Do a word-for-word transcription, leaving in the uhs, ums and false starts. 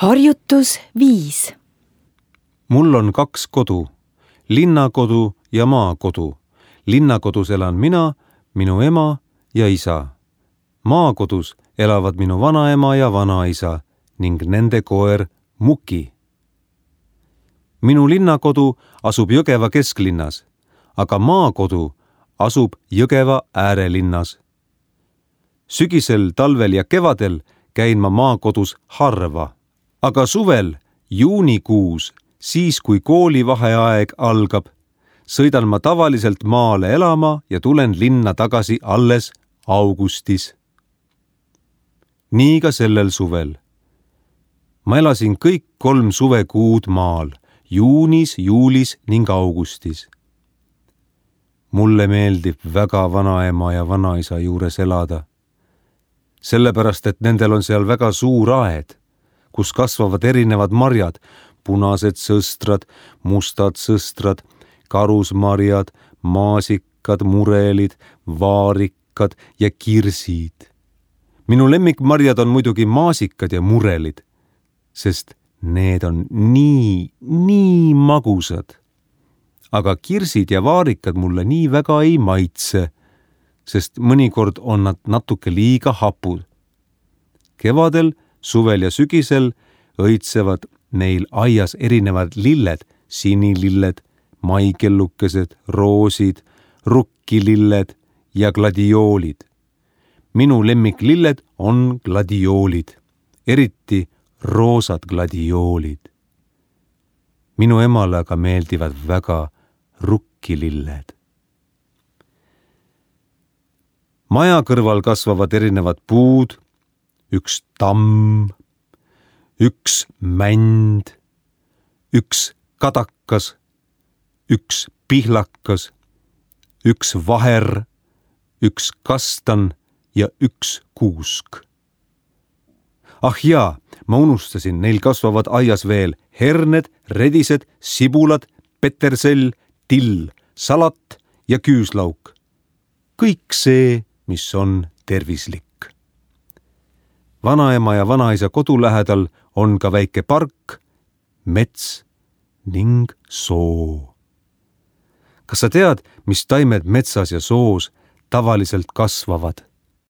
Harjutus viis. Mul on kaks kodu, linnakodu ja maakodu. Linnakodus elan mina, minu ema ja isa. Maakodus elavad minu vanaema ja vanaisa ning nende koer Muki. Minu linnakodu asub Jõgeva kesklinnas, aga maakodu asub Jõgeva äärelinnas. Sügisel, talvel ja kevadel käin ma maakodus harva, aga suvel, juunikuus, siis kui koolivaheaeg algab, sõidan ma tavaliselt maale elama ja tulen linna tagasi alles augustis. Nii ka sellel suvel. Ma elasin kõik kolm suvekuud maal, juunis, juulis ning augustis. Mulle meeldib väga vanaema ja vanaisa juures elada, sellepärast et nendel on seal väga suur aed, kus kasvavad erinevad marjad, punased sõstrad, mustad sõstrad, karusmarjad, maasikad, murelid, vaarikad ja kirsid. Minu lemmikmarjad on muidugi maasikad ja murelid, sest need on nii, nii magusad. Aga kirsid ja vaarikad mulle nii väga ei maitse, sest mõnikord on nad natuke liiga hapud. Kevadel, suvel ja sügisel õitsevad neil aias erinevad lilled, sinililled, maikellukesed, roosid, rukkililled ja gladioolid. Minu lemmiklilled on gladioolid, eriti roosad gladioolid. Minu emale aga meeldivad väga rukkililled. Maja kõrval kasvavad erinevad puud, üks tamm, üks mänd, üks kadakas, üks pihlakas, üks vaher, üks kastan ja üks kuusk. Ah jaa, ma unustasin, neil kasvavad aias veel herned, redised, sibulad, petersell, till, salat ja küüslauk. Kõik see, mis on tervislik. Vanaema ja vanaisa kodu lähedal on ka väike park, mets ning soo. Kas sa tead, mis taimed metsas ja soos tavaliselt kasvavad?